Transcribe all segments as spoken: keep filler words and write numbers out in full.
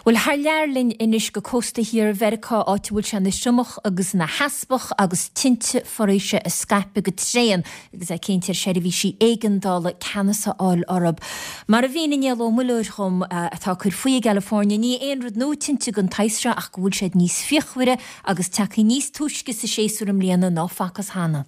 Bhuel, thar lear linn anois go cósta thiar Mheiriceá, áit a bhfuil sé ina thriomach agus ina theaspach agus tinte foraoise ag scaipeadh go tréan agus é cinnte ar seirbhísí éigeandála ceannas a fháil orthu. Mar a mhínigh Niall Ó Muilleoir dhom, atá ag cur faoi i gCalifornia, ní aon rud nua tinte den tsaghas seo ach go bhfuil siad níos fíochmhaire agus tagtha níos túisce sa séasúr i mbliana ná facthas cheana.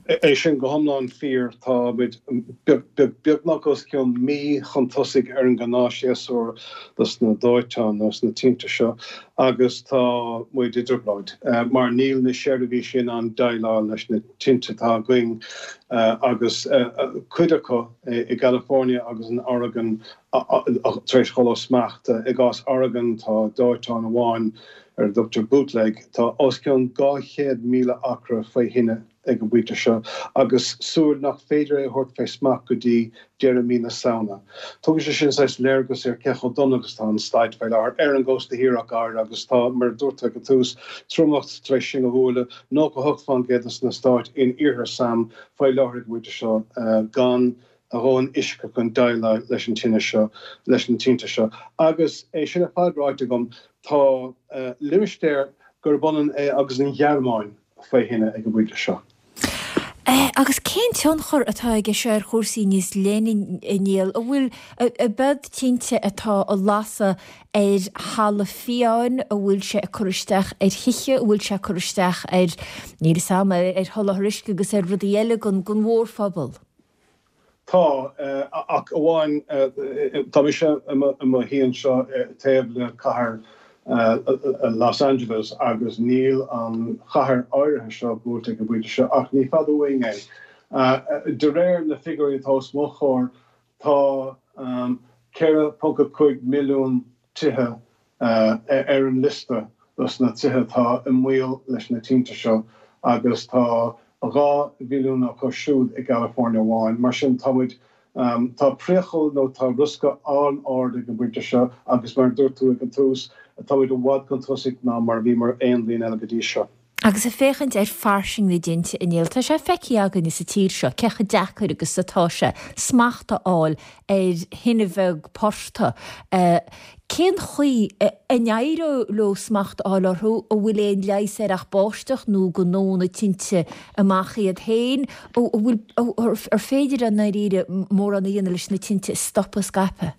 É sin go hiomlán fíor. Tá muid beagnach os cionn mí chun tosaigh ar an ngnáthshéasúr dos na dóiteáin nó sna tinte seo agus tá muid i dtrioblóid mar níl na seirbhísí in ann déileáil leis na tinte atá againn agus cuid acu i gCalifornia agus in Oregon tar éis dhul ó smacht. I gcás Oregon tá dóiteán amháin ar a dtugtar Bootleg, tá os cionn dhá chéad míle acra faoi thine ag an bpointe seo agus súil nach féidir é a thabhairt fé smacht go dtí deireadh mí na Samhna. Tugann sé sin saghas léargas ar cé chomh dona agus atá an staid faoi láthair ar an gcósta thiar ach go háirithe agus tá, mar a dúirt tú ag an tús, triomach tar éis sinn a bhualadh, nócha hocht faoin gcéad de na stáit in iarthar sam faoi láthair ag an bpointe seo gan a dhóthain uisce chun déileáil leis an tine seo, leis na tinte seo. Agus é sin ar fad ráite agam, tá limistéar gurb ionann é agus an Ghearmáin faoi thine ag an bpointe seo. Agus cén tionchar atá aige seo ar chúrsaí níos leithne, a Niall? An bhfuil, ab iad tinte atá ag lasadh ar thalamh fiáin, an bhfuil sé ag cur isteach ar thithe, an bhfuil sé ag cur isteach ar, níl 'fhios a'm, ar sholáthar uisce agus ar rudaí eile don mhórphobal? Tá, ach amháin, tá mise i mo shuí anseo taobh le cathair Los Angeles agus níl an chathair áirithe seo buailte ag an bpointe seo, ach ní fada uainn é. De réir na figiúirí atá os mo chomhair, tá ceithre ponc a cúig milliún tithe ar an liosta dos na tithe atá i mbaol leis na tinte seo agus tá dhá mhilliún acu siúd i gCalifornia amháin. Mar sin, tá muid, tá priacal nó tá riosca an-ard ag an bpointe seo agus mar a dúirt tú ag an tús, tá muid i bhfad chun tosaigh ná mar a bhíomar aon bhliain eile go dtí seo. Agus ag féachaint ar fairsinge na dtinte, a Néill, tá sé feicthe againne sa tír seo cé chomh deacair agus atá sé smacht a fháil ar thine bheag portaigh. Cén chaoi a n-éireodh leo smacht a fháil orthu? An bhfuil aon leigheas air ach báisteach nó go ndónn na tinte amach iad féin? An bhfuil, ar féidir i ndáiríre mórán a dhéanamh leis na tinte a stopadh ag scaipeadh?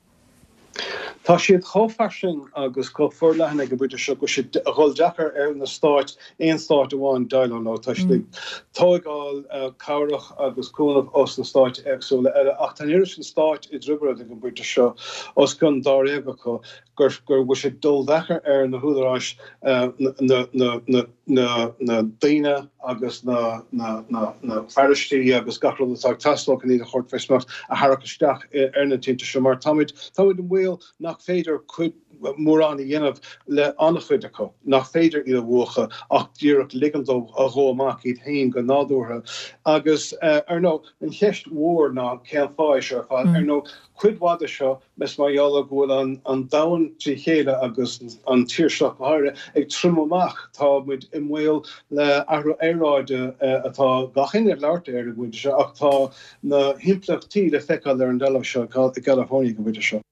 Tá siad chomh fairsing agus chomh forleathan ag an bpointe seo go bhfuil sé ag dul deacair ar na stáit, aon stát amháin, déileáil leo. Tá siad ag tóigeáil cabhrach agus cúnamh ós na stáit éagsúla eile ach tá an oiread sin stáit i dtrioblóid ag an bpointe seo, os cionn dáréag acu, gur bhfuil sé ag dul deacair ar na húdaráis na na na daoine agus na na fearaistí agus gach rud atá ag teastáil chun iad a thabhairt fé smacht a tharrac isteach ar na tinte seo mar táimid táimid i mbaol nach féidir cuid mórán a dhéanamh le an-chuid acu, nach féidir iad a mhúchadh ach díreach ligean dóibh a dhó amach iad féin go nádúrtha. Agus ar ndóigh, an cheist mhór ná cén fáth é seo ar fad? Ar ndóigh, cuid mhaith de seo is mar gheall ar go bhfuil an an domhan trí chéile agus an tír seo go háirithe ag triomú amach. Tá muid i mbaol le athrú aeráide atá gach éinne ag labhairt air ag an bpointe seo ach tá na himpleachtaí le feiceáil ar an dtalamh seo i gCalifornia ag an bpointe seo.